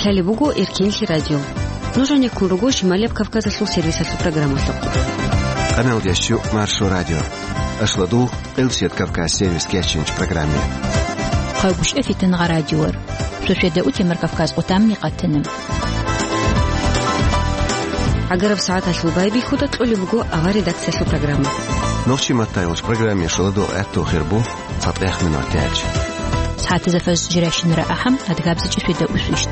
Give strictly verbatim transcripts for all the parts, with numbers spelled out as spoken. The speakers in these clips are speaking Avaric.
Лъалеб буго Эркенлъи радио. Нуж гьанеккун руго Шималияб Кавказалъул сервисалъул программалъухъ. Къаналдияс чу Маршо радио. Ашладул Къилсият Кавказ сервис кечинч программе. Хъагушев Фитнагъа радиор. Суседа утемар Кавказ къутамни къатана. ГӀагараб сагӀаталъул байбихьуда кьолеб буго авар редакциялъул программа. Нохчи маттайолч программе шоладо гӀатту хирбу. ЦатӀех минуталъ. СагӀатазда фажр жирашинара ахӀам, адгабзичӀи светда усвищ.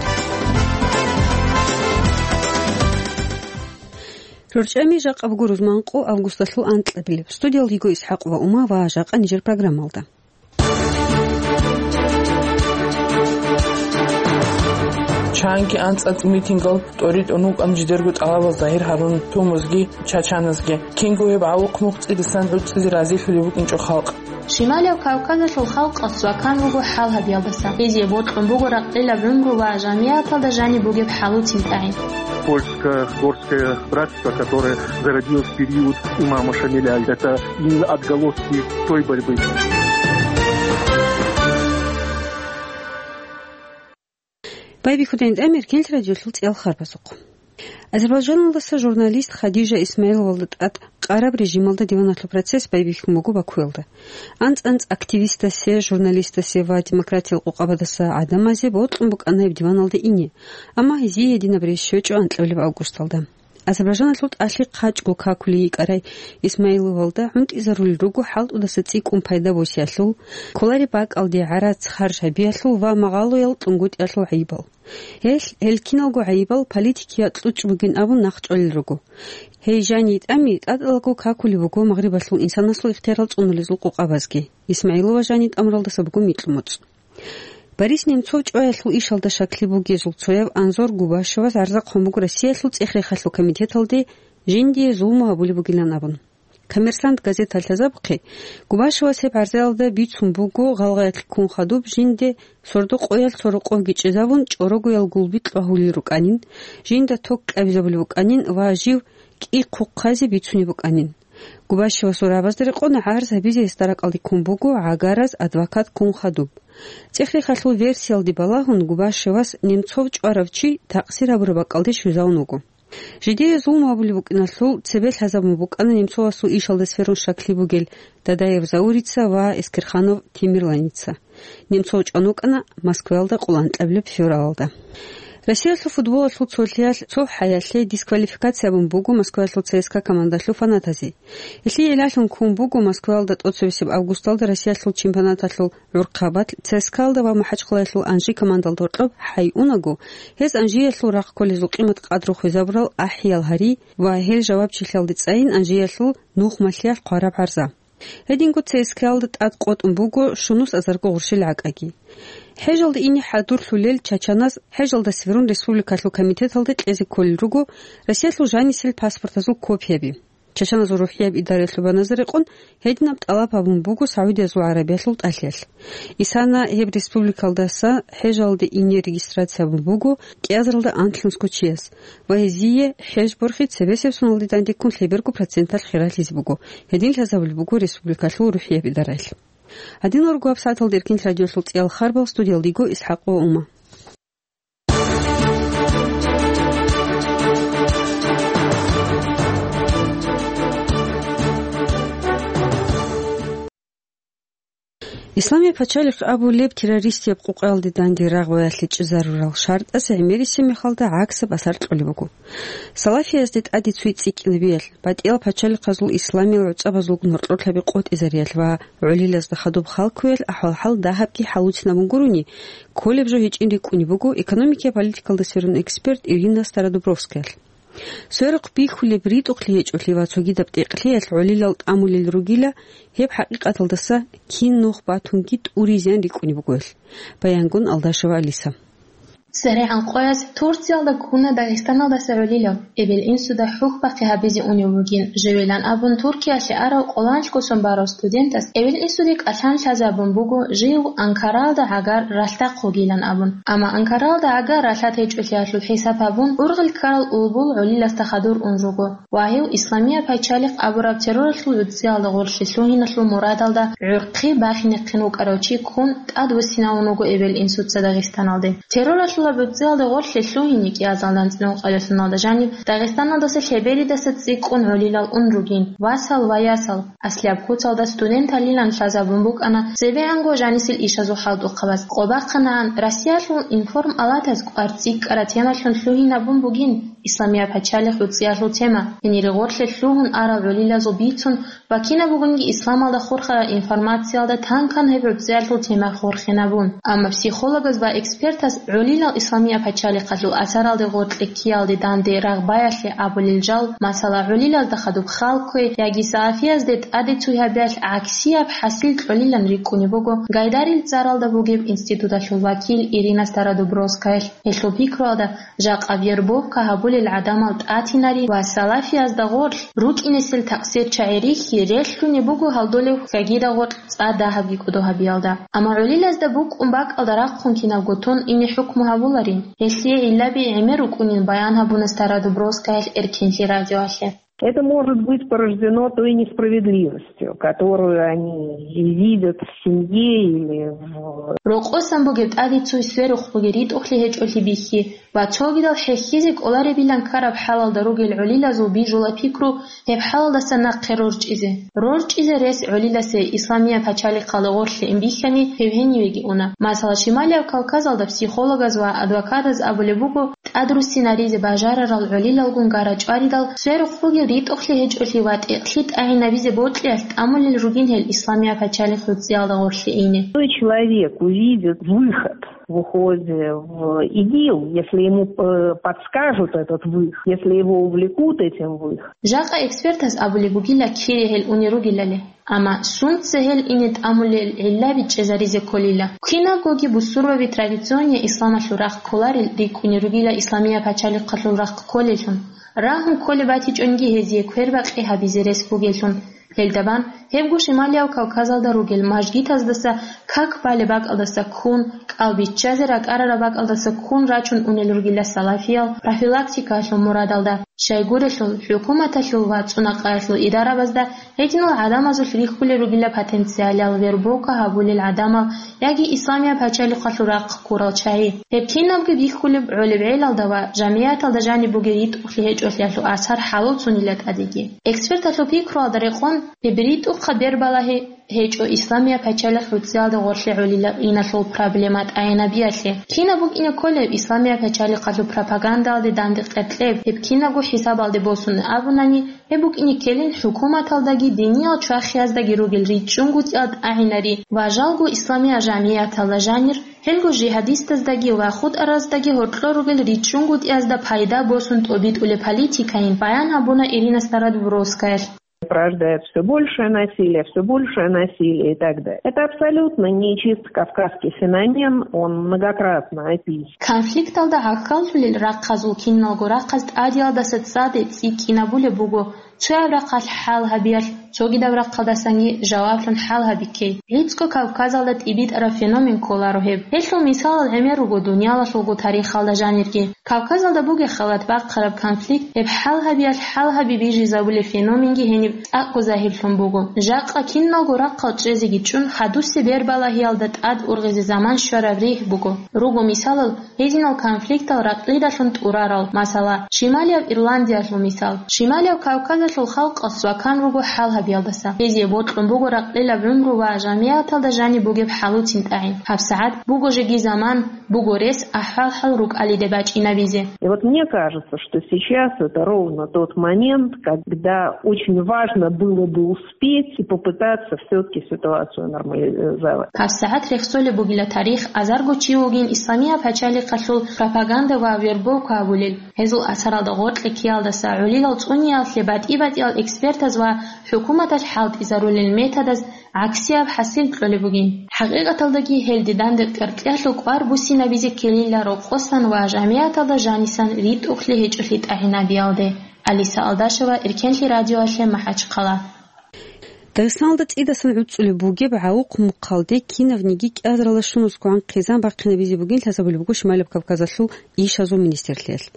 РорчӀами жакъа буго рузман къо августалъул анкьабилеб. Студиялда йиго ИсхӀакъ ва Ума ва жакъа нижер программалда. Чанги анцӀ-анцӀ митингал тӀоритӀун вукӀан жидерго тӀалабал загьир гьарун тумузги чачаназги. Кинго гьеб гӀавухъ нух цӀидасан гӀуцӀизе разилъулеб букӀинчӀо халкъ. Шималияб Кавказалъул халкъалъ цӀвакан вуго хӀал гьабиялдаса. Гьезие бокьун буго ракъилаб гӀумру ва жамигӀаталда жаниб бугеб хӀалуцин тӀагӀин. Польско-горское братство, которое зародилось в период имама Шамиля, это именно отголоски той борьбы. Байбихьудайин тӀамир кенлъ радиолъул цӀиял харбазухъ. Азербайджаналдаса журналист Хадижа Исмаиловалда тӀад къараб режималда диваналъул процесс байбихьун буго Бакуялда. АнцӀ-анцӀ активистасе, журналистасе ва демократиял къокъабадаса гӀадамазе бокьун букӀана гьеб диваналде ине, амма гьезие гьединаб рес щвечӀо анкьабилеб августалда. Азербайджаналъул тӀалъи хъачӀго какулей йикӀарай Исмаиловалда гӀунтӀизарулел руго хӀалтӀудаса цӀикӀкӀун пайда босиялъул, кколареб бакӀалде гӀарац харж гьабиялъул ва магъалоял кьунгутӀиялъул гӀайибал. Гьел, гьел киналго гӀайибал политикияб кьучӀ бугин абун нахъчӀвалел руго. Гьей жаниб тӀами тӀадалго какулеб буго Магърибалъул инсанасул ихтиярал цӀунулезул къокъабазги. Исмаилова жаниб тӀамуралдаса буго микьумуцӀ. Борис Немцов чӀваялъул ишалда щаклъи бугезул цояв Анзор Губашевас гӀарза хъван буго Россиялъул цӀех-рехалъул комитеталде жиндие зулму гьабулеб бугилан абун. «Коммерсант» газеталъ лъазабухъе, Губашевас гьеб гӀарзаялда бицун буго гъалгъаялъ ккун хадуб жинде сордо къоялъ цо рокъовги чӀезавун, чӀорогоял гулби кьвагьулел рукӀанин, жинда ток кьабизабулеб букӀанин ва жив кӀи хъухъазе бицунеб букӀанин. Губашевасул рагӀабазда рекъон гӀарз гьабизе гьесда ракӀалде ккун буго гӀагараз адвокат ккун хадуб. ЦӀех-рехалъул версиялде балагьун, Губашевас Немцов чӀварав чи такъсир гьабураб бакӀалде щвезавун вуго. Жидее зулму гьабулеб букӀиналъул цебе лъазабун букӀана Немцовасул ишалда сверун щаклъи бугел Дадаев Заурица ва Эскерханов Темирланица. Немцов чӀван вукӀана Москваялда къоло анкьабилеб февралалда. Россиялъул футболалъул цолъиялъ цо хӀаялъе дисквалификация абун буго Москваялъул ЦСКА командалъул фанатазе. Гьелъие гӀиллалъун ккун буго Москваялда тӀоцебесеб августалда Россиялъул чемпионаталъул гӀурхъабазда ЦСКА-ялда ва МахӀачхъалаялъул Анжи командалда гьоркьоб хӀайунаго, гьез Анжиялъул рахъ кколезул къимат-къадру хвезабурал ахӀиял гьари ва гьел жавабчилъиялде цӀайин Анжиялъул нухмалъиялъ хъвараб гӀарза. Гьединго ЦСКА-ялда тӀад къотӀун буго щунус азарго гъурщел гӀакӀаги. ХӀежалде ине хӀадурлъулел чачаназ хӀежалда сверун республикалъул комитеталде кьезе кколел руго Россиялъул жанисел паспортазул копияби. Чачаназул рухӀияб идараялъул баназа рекъон гьединаб тӀалаб гьабун буго Саудиязул ГӀарабиялъул тӀалъиялъ. Исана гьеб республикалдаса хӀежалде ине регистрация гьабун буго кӀиазаралда анлънусго чияс ва гьезие хӀеж борхи цебесеб соналде дандеккун лъеберго проценталъ хиралъизе буго, гьедин лъазабулеб буго республикалъул рухӀияб идараялъ. Гьадинал руго гьабсагӀаталда Эркин радиолъул цӀиял харбал, студиялда йиго ИсхӀакъ ва Ума. Исламияб пачалихъ абулеб террористияб къукъаялде данде рагъ баялъичӀезарурал шартӀасе гӀемерисеб мехалда гӀаксаб асар кьолеб буго. Салафиязде тӀаде цуе цӀикӀкӀинабиялъ, батӀиял пачалихъазул исламиял гӀуцӀабазулгун гьоркьор лъаби къотӀизариялъ ва гӀолилазда хадуб халкуялъ ахӀвал-хӀал дагьабги хӀалуцинабун гурони, кколеб жо гьечӀин рикӀкӀунеб буго экономикиял политикалда сверун эксперт Ирина Стародубровскаялъ. Сверухъ бихьулеб ритӀухълъи гьечӀолъи ва цогидаб тӀекълъиялъ гӀолилал тӀамулел ругила, гьеб хӀакъикъаталдаса кин нух батунги тӀури-зиян рикӀкӀунеб бугоялъ, баянгун Алдашева Алиса. СеригӀан къоялъ Турциялда ккуна Дагъистаналдаса гӀолилав, эбел-инсуда хӀухьбахъи гьабизе унев вугин, живилан абун Туркиялъе арав къоланлъго сон барав студентас эбел-инсуде кӀалъан лъазабун буго жив Анкаралда гӀагар ралъдахъ вугилан абун. Амма Анкаралда гӀагар ралъад гьечӀолъиялъул хӀисаб гьабун, ургъел ккарал улбул гӀолиласда хадур ун руго. Ва гьев Исламияб пачалихъ абураб терроралъул гӀуцӀиялда гъорлъе лъугьиналъул мурадалда гӀурхъи бахинехъин вукӀарав чи ккун тӀадвуссинавун вуго эбел-инсуца Дагъистаналде. Терроралъул ГӀуцӀиялде гъорлъе лъугьине кӀиазалда анцӀила ункъабилеб соналда жаниб Дагъистаналдаса лъеберидаса цӀикӀкӀун гӀолилал ун ругин, васал ва ясал, аслияб куцалда студенталилан лъазабун букӀана цебегӀанго жанисел ишазул хӀалтӀухъабаз. Къо бахъанагӀан, Россиялъул информалатаз кӀвар цӀикӀкӀараб темалъун лъугьинабун бугин Исламияб пачалихъ гӀуцӀиялъул тема, гьенире гъорлъе лъугьун арал гӀолилазул бицун ва кинаб бугониги исламалда хурхарал информациялда тан-кан гьеб гӀуцӀиялъул тема хурхинабун. Амма психологаз ва экспертаз гӀолилал Исламияб пачалихъалъул асаралде гъоркье ккеялде данде рагъбаялъе абулел жал, масала, гӀолилазда хадуб хал кквей яги салафиязде тӀаде цуй гьабиялъ гӀаксияб хӀасил кьолилан рикӀкӀунеб буго Гайдарил цӀаралда бугеб институталъул вакил Ирина Стародубровскаялъ. Гьелъул пикруялда, жакъа вербовка гьабулел гӀадамал тӀатинари ва салафиязда гъорлъ рукӀинесел такъсир чагӀи рихьи релълъунеб буго гьалдолеб хьагира гъоркь цӀа дагьабги кӀодо гьабиялда. Амма гӀолилазда букӀун бакӀалда рахъун кинабго тун ине хӀукму гьабуларин, гьелъие гӀиллаби гӀемер рукӀунин баян гьабуна Стародубровскаялъ Эркенлъи радиоялъе. Это может быть порождено той несправедливостью, которую они видят в семье или в... Рокъосан бугеб тӀаде цуй сверухъ бугеб ритӀухълъи гьечӀолъи бихьи ва цогидал хӀехьизе кӀоларебилан ккараб хӀалалда ругел гӀолилазул бижула пикру гьеб хӀалалдаса нахъе рорчӀизе. РорчӀизе рес гӀолиласе Исламияб пачалихъалда гъорлъе ин бихьани, гьев гьенивеги уна. Масала, Шималияб Кавказалда психологаз ва адвокатаз абулеб буго, тӀадруссинаризе бажарарал гӀолилалгун гара чӀваридал, сверухъ бугеб ритӀухълъи гьечӀолъи ва тӀекълъи тӀагӀинабизе бокьиялъ тӀамулел ругин гьел Исламияб пачалихъ гӀуцӀиялда гъорлъе ине. Той человек увидит выход в уходе в ИГИЛ, если ему, э, подскажут этот выход, если его увлекут этим выходом. Жакъа экспертаз абулеб бугила кире гьел уни ругелали. Амма сунца гьел ине тӀамулел гӀиллаби чӀезаризе кколила. Кинабгоги бусурбаби традиционный исламалъул рахъ кколарел рикӀкӀуни ругила Исламияб пачалихъалъул рахъ кколеллъун. Рагьун кколеб батичӀониги гьезие квербакъи гьабизе рес бугеллъун. Гьелда бан, гьебго Шималияб Кавказалда ругел мажгитаздаса как балеб бакӀалдаса ккун, кӀал биччазе ракӀарараб бакӀалдаса ккун рачун унел ругила салафиял профилактикаялъул мурадалда. Щайгурелъул, хӀукуматалъул ва цӀунакъаялъул идарабазда гьединал гӀадамазулъ рихьулел ругила потенциалал вербовка гьабулел гӀадамал яги Исламияб пачалихъалъул рахъ ккурал чагӀи. Гьеб кинабги бихьулеб гӀолеб гӀелалда ва жамигӀаталда жаниб бугеб ритӀухълъи гьечӀолъиялъул асар хӀалуцунила тӀадеги. Эксперталъул пикруялда рекъон, гьеб ритӀухъаб бербалагьи гьечӀо Исламияб пачалихъ гӀуцӀиялда гъорлъе гӀолилал иналъул проблема тӀагӀинабиялъе. Кинаб букӀине кколеб Исламияб пачалихъалъул пропагандалде данде къеркьеб, гьеб кинабго хӀисабалде босун абунани, гьеб букӀине ккелин хӀукуматалдаги диниял чвахияздаги ругел ричӀчӀунгутӀиялда тӀагӀинари ва жалго исламиял жамигӀаталда жанир, гьелго жигьадистаздаги ва хутӀараздаги гьоркьор ругел ричӀчӀунгутӀиязда пайда босун тӀобитӀулеб политикайин баян гьабуна Ирина Стародубровскаялъ. Порождает всё большее насилие, всё большее насилие и так далее. Это абсолютно не чисто кавказский феномен, он многократно описан. Конфликталда гӀахьаллъулел рахъазул киналго рахъаз тӀадиялдаса цӀаде цӀикӀкӀинабулеб буго, цояб рахъалъ хӀал гьабиялъ, цогидаб рахъалдасанги жаваблъун хӀал гьабиккей. ГӀицӀго Кавказалда тӀибитӀараб феномен кколаро гьеб. Гьелъул мисалал гӀемер руго дуниялалъулго тарихалда жанирги. Кавказалда бугеб халат бахъараб конфликт, гьеб хӀал гьабиялъ хӀал гьаби бижизабулеб феноменги гьениб цӀакъго загьирлъун буго. Жакъа киналго рахъал чӀезеги чӀун, хадусеб бербалагьиялда тӀад ургъизе заман щвараб ригь буго. Руго мисалал, гьединал конфликтал ракьидалъун тӀурарал, масала, Шималияб Ирландиялъул мисал. Шималияб Кавказалъул халкъал свакан руго хӀал гьабиялдаса. Гьезие бокьун буго ракьилаб гӀумру ва жамигӀаталда жаниб бугеб хӀалуцин тӀагӀин. ГьабсагӀат буго жеги заман, буго рес ахӀвал-хӀал рукӀалиде бачӀинабизе. И вот мне кажется, что сейчас это ровно тот момент, когда очень важно было бы успеть и попытаться всё-таки ситуацию нормализовать. ГьабсагӀат рехсолеб бугила тарих, азарго чи вугин Исламияб пачалихъалъул пропаганда ва вербовка гьабулел. Гьезул асаралда гъоркье ккеялдаса гӀолилал цӀуниялъе батӀи-батӀиял экспертаз ва хӀукуматалъ хӀалтӀизарулел методаз гӀаксияб хӀасил кьолеб бугин. ХӀакъикъаталдаги гьелде данде къеркьялъул кӀвар буссинабизе ккелила рокъосан ва жамигӀаталда жанисан ритӀухълъи гьечӀолъи тӀагӀинабиялде. Алиса Алдашева, Эркенлъи радиоялъе, МахӀачхъала. Дагъистаналда цӀидасан гӀуцӀулеб бугеб гӀавухъ мухъалде кинавниги кӀиазаралда щунусгогӀан хъизан бахъинабизе бугин лъазабулеб буго Шималаб Кавказалъул ишазул министрлъиялъ.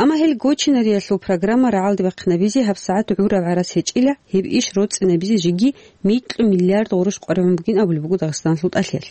Амма гьел гочинариялъул программа рагӀалде бахъинабизе гьабсагӀат гӀураб гӀарац гьечӀила, гьеб иш роцӀцӀинабизе жеги микьу миллиард гъурущ къваригӀун бугин абулеб буго Дагъистаналъул тӀалъиялъ.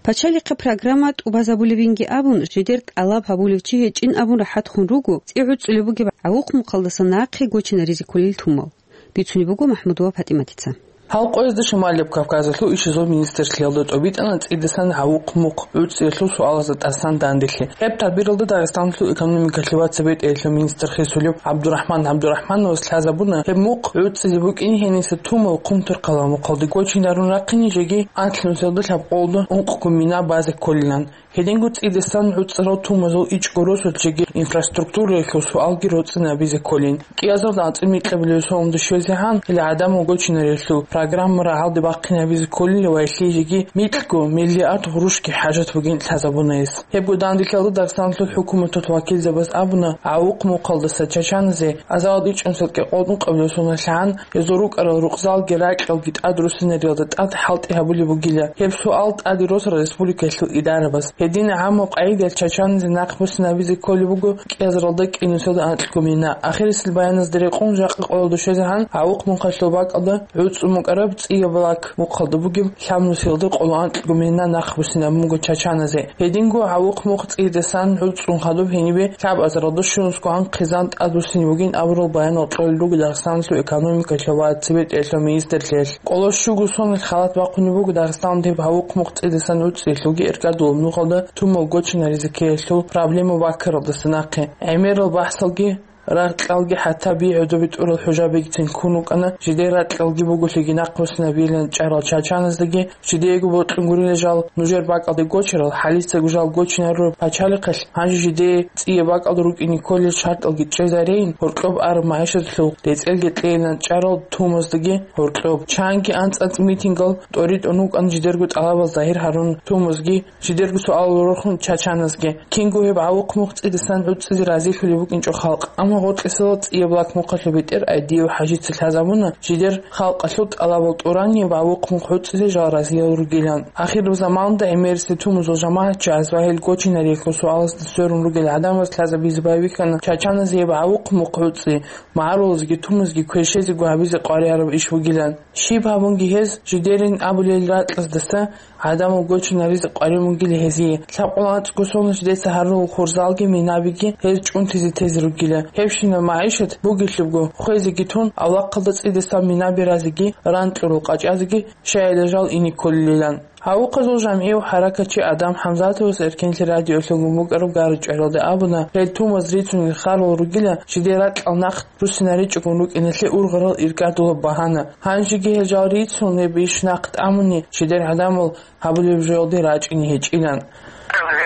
Пачалихъе программа тӀубазабулебинги абун, жидер тӀалаб гьабулев чи гьечӀин абун рахӀат хун руго цӀи гӀуцӀулеб бугеб гӀавухъ-мухъалдаса нахъе гочинаризе кколел тумал. Бицунеб буго МахӀмудова ПатӀиматица. Гьал къоязда Шималияб Кавказалъул ишазул министрлъиялда тӀобитӀана цӀидасан гӀавухъ-мухъ гӀуцӀиялъул суалазда тӀасан данделъи. Гьеб тадбиралда Дагъистаналъул экономикалъе ва цебетӀеялъул министр хисулев ГӀабдурахӀман ГӀабдурахӀмановас лъазабуна, гьеб мухъ гӀуцӀизе букӀин гьениса тумал Хъумторхъала мухъалде гочинарун рахъине жеги анлънусиялда лъабкъолда ункъго мина базе кколилан. Гьединго цӀидасан гӀуцӀарал тумазул ичӀго росулъ жеги инфраструктураялъул суалги роцӀцӀинабизе кколин. КӀиазалда анцӀила микьабилеб соналда щвезегӀан, гьел гӀадамал гочинариялъул программа рагӀалде бахъинабизе кколила ва гьелъие жеги микьго миллиард гъурущги хӀажат бугин лъазабуна гьес. Гьебго данделъалда Дагъистаналъул хӀукуматалъул вакилзабаз абуна, гӀавухъ-мухъалдаса чачаназе азалда ичӀнусел кӀикъоялда ункъабилеб соналъ гӀан, гьезул рукӀарал рукъзалги ракьалги тӀадруссинариялда тӀад хӀалтӀи гьабулеб бугила. Гьеб суал тӀаде росла республикаялъул идарабаз. Гьедин гӀаммаб къагӀидаялъ чачаназе нахъбуссинабизе кколеб буго кӀиазаралда кӀинусиялда анкьго мина. Ахирисел баяназда рекъон, жакъа къоялда щвезегӀан гӀавухъ-мухъалъул бакӀалда гӀуцӀун букӀараб ЦӀияб Лак мухъалда бугеб лъабнусиялда къоло анкьго мина нахъбуссинабун буго чачаназе. Гьединго гӀавухъ-мухъ цӀидасан гӀуцӀун хадуб гьенибе лъабазаралда щунусго гӀан хъизан тӀадвуссине бугин абурал баянал кьолел руго Дагъистаналъул экономикалъул ва цебетӀеялъул министрлъиялъ. Къоло щуго соналъ халат бахъунеб буго Дагъистаналда гьеб гӀавухъ-мухъ цӀидасан гӀуцӀиялъулги эркӀадулаб нухалда тумал гочинаризе ккеялъул проблема баккаралдаса нахъе. ГӀемерал бахӀсалги, ракьалги, хӀатта би гӀодобе тӀурал хӀужабигицин ккун рукӀана, жидер ракьалги буголъиги нахъбуссинабилан чӀарал чачаназдаги, жидеего бокьун гурила жал нужер бакӀалде гочарал, хӀалицаго жал гочинарураб пачалихъалъ, гьанже жидее цӀияб бакӀалда рукӀине кколел шартӀалги чӀезареян, гьоркьоб араб магӀишаталъул рецӀелги кьейилан чӀарал тумаздаги гьоркьоб. Чанги анцӀ-анцӀ митингал тӀоритӀун рукӀана жидерго тӀалабал загьир гьарун тумазги, жидерго суалал рорхун чачаназги. Кинго гьеб гӀавухъ-мухъ цӀидасан гӀуцӀизе разилъулеб букӀинчӀо халкъ. Амма гъоркьисела ЦӀияб Лак мухъалъул бетӀер Айдиев ХӀажица лъазабуна, жидер халкъалъул тӀалабал тӀурани гьеб гӀавухъ-мухъ гӀуцӀизе жал разиял ругилан. Ахирзаманда гӀемерисел тумазул жамагӀатчияс ва гьел гочинариялъул суалазда сверун ругел гӀадамаз лъазабизе байбихьана чачаназе гьеб гӀавухъ-мухъ гӀуцӀи, магӀарулазги тумазги кверщезего гьабизе къваригӀараб иш бугилан. Щиб гьабунги гьез, жидерин абулел ракьаздаса гӀадамал гочинаризе къваригӀун бугила гьезие. Лъабкъоялда анцӀго соналъ жидеца гьарулел хурзалги минабиги гьез чӀунтизе тезе ругила. Гьебщинаб магӀишат бугелъубго, хвезеги тун, авлахъалда цӀидасан минаби разеги, ран кьурал къачӀазеги щайила жал ине кколилан. Гьавухъазул жамгӀияв хӀаракатчи Адам ХӀамзатовас Эркенлъи радиолъун букӀараб гара-чӀваралда абуна, гьел тумаз рицунел харал ругила, жидер ракьал нахъ руссинаричӀогун рукӀиналъе ургъарал иркӀадулаб багьана. Гьанжеги гьел жал рицун, гьеб иш нахъ тӀамуни, жидер гӀадамал гьабулеб жоялде рачӀине гьечӀилан.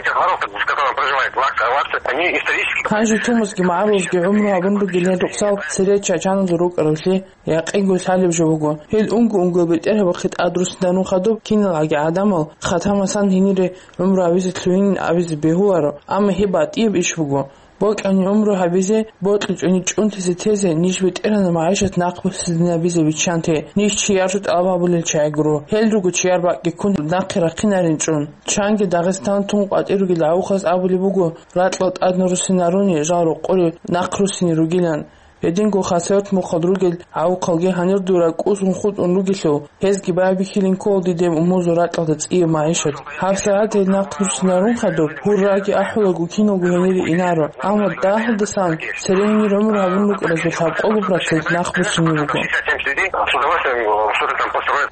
Эти города, в котором проживает Лак, Лакцы, они исторически... Гьанже тумазги магӀарулазги гӀумру гьабун ругел гьел рукъзал цере чачаназул рукӀаравлъи якъинго лъалеб жо буго. Гьел унго-унго бетӀергьабахъе тӀадруссинарун хадуб киналгӀаги гӀадамал хатамасан гьенире гӀумру гьабизе лъугьин абизе бегьуларо, амма гьеб батӀияб иш буго. Бокьани гӀумру гьабизе, бокьичӀони чӀунтизе тезе, ниж бетӀергьанаб магӀишат нахъбуссинабизе биччанте, ниж чияр жо тӀалаб гьабулел чагӀи гуро. Гьел руго чияр бакӀги ккун нахъе рахъинарин чӀун. Чанги Дагъистан тун къватӀир ругел гӀавухъаз абулеб буго, ракьал тӀадна руссинаруни, жал рокъоре нахъ руссине ругилан. Гьединго Хасавюрт мухъалъ ругел гӀавухъалги гьанир дур ракӀ усун хутӀун ругелъул, гьезги байбихьилин ккола диде умузул ракьалда цӀияб магӀишат. ГьабсагӀат гьел нахъ руссинарун хадуб, гьурраги ахӀулаго киналго гьенире инаро. Амма дагьалдасан цере гьенир гӀумру гьабун рукӀаразул лъабкъого процент нахъ буссине буго.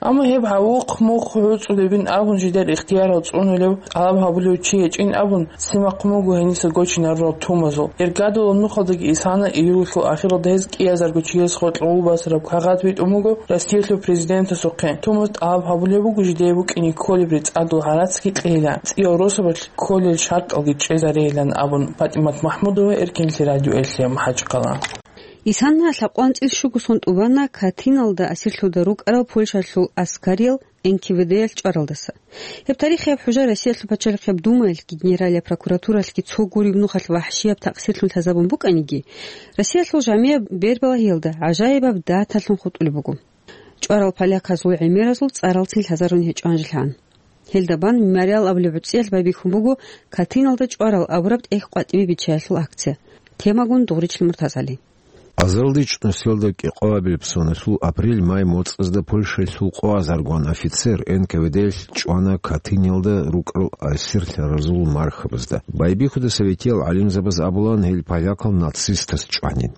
Амма гьеб гӀавухъ-мухъ гӀуцӀулебин абун жидер ихтиярал цӀунулев, тӀалаб гьабулев чи гьечӀин абун, симахъун буго гьениса гочинарурал тумазул. Иргадулаб нухалдаги исана июлалъул ахиралда гьез кӀиазарго чияс гъоркье гъулбасараб кагъат битӀун буго Россиялъул президентасухъе. Тумаз тӀалаб гьабулеб буго жидее букӀине кколеб рецӀадул гӀарацги кьейилан, цӀиял росабалъ кколел шартӀалги чӀезарейилан абун, ПатӀимат МахӀмудова, Эркенлъи радиоялъе, МахӀачхъала. Исана лъабкъоялда анцӀила щуго сон тӀубана Катиналда асирлъуда рукӀарал Польшалъул аскариял Н К В Д-ялъ чӀваралдаса. Гьеб тарихияб хӀужа Россиялъул пачалихъияб Думаялъги генералияб прокуратуралъги цо гуреб нухалъ вахӀшияб такъсирлъун лъазабун букӀаниги, Россиялъул жамияб бербалагьиялда гӀажаибаб даталъун хутӀулеб буго. ЧӀварал поляказул гӀемеразул цӀаралцин лъазарун гьечӀо гьанжелъан. Гьелда бан «Мемориал» абулеб гӀуцӀиялъ байбихьун буго Катиналда чӀварал абураб тӀехь къватӀибе биччаялъул акция. Темагун Дугъричил МуртазгӀали. Азарилда чӀунусиялда кӀикъоабилеб соналъул апрель-май моцӀазда Польшаялъул къо азаргун офицер Н К В Д-ялъ чӀвана Катынялда рукӀарал асирлъаразул мархабазда. Байбихьуда советиял гӀалимзабаз абулан, гьел полякал нацистаз чӀванин.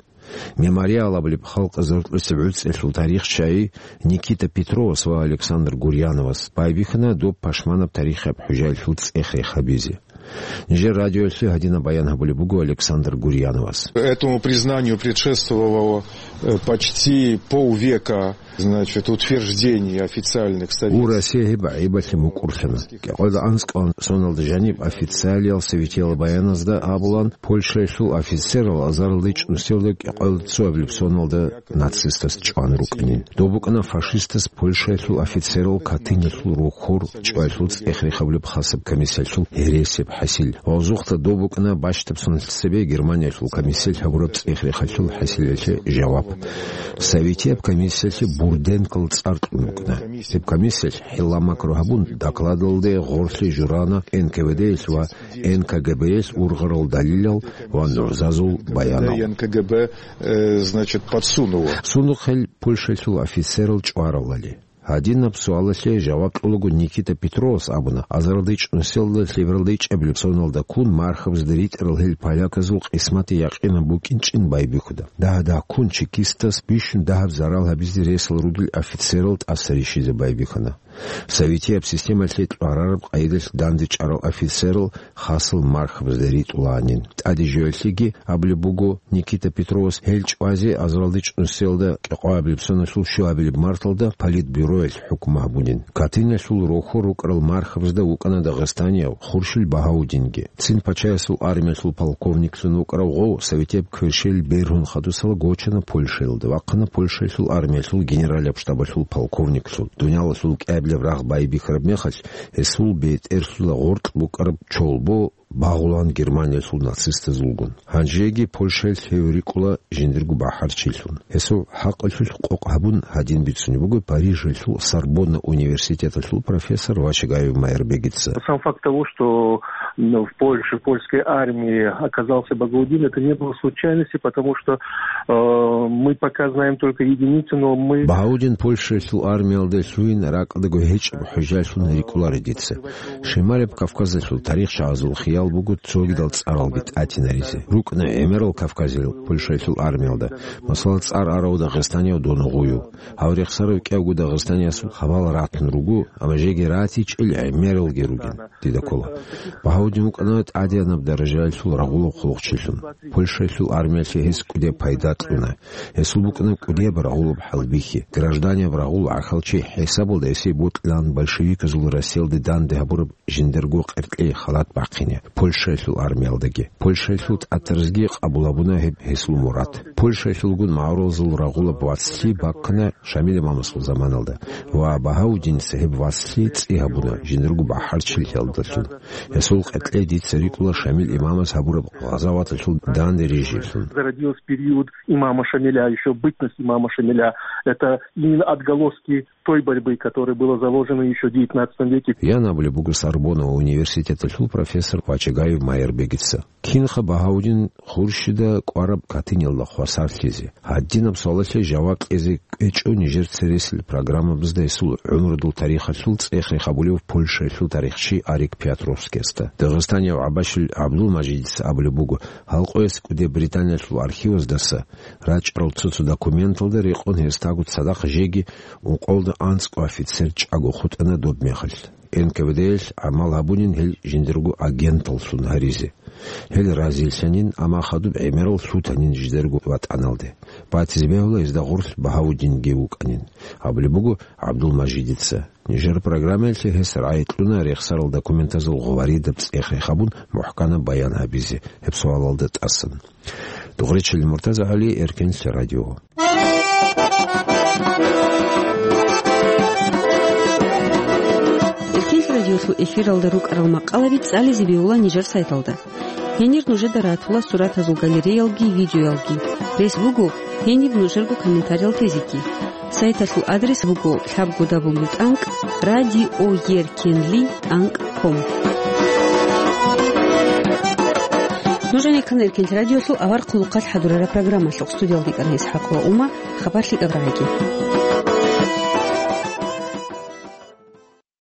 «Мемориал» абулеб халкъ зортлъусеб гӀуцӀиялъул тарихчияй Никита Петровас ва Александр Гурьяновас байбихьана доб пашманаб тарихияб хӀужаялъул цӀех-рех гьабизе. Нижер радиоялъе гьадинаб баян гьабулеб буго Александр Гурьяновас. Этому признанию предшествовало, э, почти полвека, значит, утверждений официальных советских. Гьеб гӀайибалъе мукӀурлъана. КӀикъоялда анцӀкӀалда соналда жаниб официалиял советиял баяназда абулан, Польшаялъул офицерал азарилда чӀунусиялда кӀикъоялда цоабилеб соналда нацистаз чӀван рукӀанин. Доб букӀана фашистаз Польшаялъул офицерал Катынялъул рохьор чӀваялъул цӀех-рех гьабулеб хасаб комиссиялъул гьересияб хӀасил. Ва гъозухъа доб букӀана бащдаб соналъ цебе Германиялъул комиссиялъ гьабураб цӀех-рехалъул хӀасилалъе жаваб. Советияб комиссиялъе Бурденкол цӀар кьун букӀана. Гьеб комиссиялъ хӀилла-макру гьабун, докладалде гъорлъе журана Н К В Д-ялъ ва Н К Г Б-ялъ ургъарал далилал ва нугӀзазул баянал. Н К Г Б, э, значит, подсунуло. Сундухъ гьел Польшаялъул офицерал чӀваралали. Гьадинаб суалалъе жаваб кьолаго Никита Петровас абуна, азарилда чӀунусиялда лъебералда ичӀабилеб соналда ккун мархабазда ритӀарал гьел поляказул къисмат якъинаб букӀинчӀин байбихьуда. Дагь-дагьккун чекистас бищун дагьаб зарал гьабизе ресал ругел офицерал тӀаса рищизе байбихьана. Советияб системалъе кьварараб къайдалъ дандечӀарал офицерал хасал мархабазда ритӀулаанин. ТӀаде жоялъеги абулеб буго, Никита Петровас гьел чӀвазе азарилда чӀунусиялда кӀикъоабилеб соналъул щуабилеб марталда Политбюроялъ хӀукму гьабунин. Катынялъул рохьор рукӀарал мархабазда вукӀана дагъистанияв Хуршил Багьаудинги. Цин пачаясул армиялъул полковниклъун вукӀарав гъов советияб кверщел бергьун хадусала гочана Польшаялда, вахъана Польшаялъул армиялъул генералияб штабалъул полковниклъун. Дуниялалъул кӀиабилеб рагъ байбихьараб мехалъ, гьесул бетӀерлъула гъоркь букӀараб чолбо багъулан Германиялъул нацистазулгун. Гьанжеги Польшаялъ гьев рикӀкӀула жиндирго бахӀарчилъун. Гьесул хӀакъалъулъ къокъ гьабун гьадин бицунеб буго Парижалъул Сорбонна университеталъул профессор Вачагаев Майрбегица. Сам факт того, что, м, в Польше, в польской армии оказался Багаудин, это не было случайностью, потому что, э, мы пока знаем только единицы, но мы... Багьаудин Польшаялъул армиялде лъугьин ракӀалдаго гьечӀеб хӀужалъун рикӀкӀунаро дица. Шималаб Кавказалъул тарихчагӀазул хиял буго цогидал цӀаралги тӀатинаризе. РукӀна гӀемерал кавказиял Польшаялъул армиялда, масала, цӀар арав дагъистанияв Доногъуев. Гьав рехсарав кӀиявго дагъистаниясул хабал ратун руго, амма жеги ратичӀел гӀемералги ругин, дида ккола. Багьаудин вукӀана тӀадегӀанаб даражаялъул рагъулаб хъулухъчилъун. Польшаялъул армиялъе гьес кӀудияб пайда кьуна. Гьесул букӀана кӀудияб рагъулаб хӀалбихьи, гражданияб рагъул гӀахьалчи хӀисабалда гьесие бокьилаан большевиказул Россиялде данде гьабураб жиндирго къеркьей халат бахъине Польшаялъул армиялдаги. Польшаялъул тӀатарзги къабул гьабуна гьеб гьесул мурад. Польшаялъулгун магӀарулазул рагъулаб вацлъи бахъана Шамил имамасул заманалда ва Багьаудиница гьеб вацлъи цӀи гьабуна жиндирго бахӀарчилъиялдалъун. Гьесул къеркьей дица рикӀкӀула Шамил имамас гьабураб гъазаваталъул данде рижиялъун. Зародилась в период имама Шамиля, ещё бытность имама Шамиля. Это именно отголоски той борьбы, которая была заложена ещё в девятнадцатом веке. Ян абулеб буго Сорбонна университеталъул профессор Вачагаев Майрбегица. Кинха Багьаудин Хуршида кӀвараб Катынялда хвасарлъизе? Гьадинаб суалалъе жаваб кьезе кӀвечӀо нижер цересел программабазда гьесул гӀумрудул тарихалъул цӀех-рех гьабулев Польшаялъул тарихчи Арик Пиотровскиясда. Дагъистанияв ГӀабашил ГӀабдулмажидица абулеб буго, гьал къоялъ кӀуде Британиялъул архиваздаса рачӀарал цо-цо документалда рекъон гьесдаго цадахъ жеги ункъоялда анцӀго офицер чӀаго хутӀана доб мехалъ. Н К В Д-ялъ гӀамал гьабунин гьел жиндирго агенталлъун гьаризе. Гьел разилъанин, амма хадуб гӀемерал лъутанин жидерго ватӀаналде. Батизе бегьула гьезда гъорлъ Багьаудинги вукӀанин, абулеб буго ГӀабдулмажидица. Нижер программаялъе гьес рагӀи кьуна рехсарал документазул гъоваридаб цӀех-рех гьабун мухӀканаб баян гьабизе гьеб суалалда тӀасан. Дугъричилин Муртазагьали, Эркенлъи радио. Эркенлъи радиолъул эфиралда рукӀарал макъалаби цӀализе бегьула нижер сайталда. Гьенир нужеда ратула суратазул галереялги видеоялги. Рес буго гьениб нужерго комментариял тезеги. Сайталъул адрес буго лъабго дабл ю тӀанкӀ радиоеркенли тӀанкӀ ком. Нуж гӀенеккана Эркенлъи радиолъул авар хъулухъалъ хӀадурараб программалъухъ. Студиялда ккана ИсхӀакъ ва Ума. Хабар лъикӀаб рагӀиги.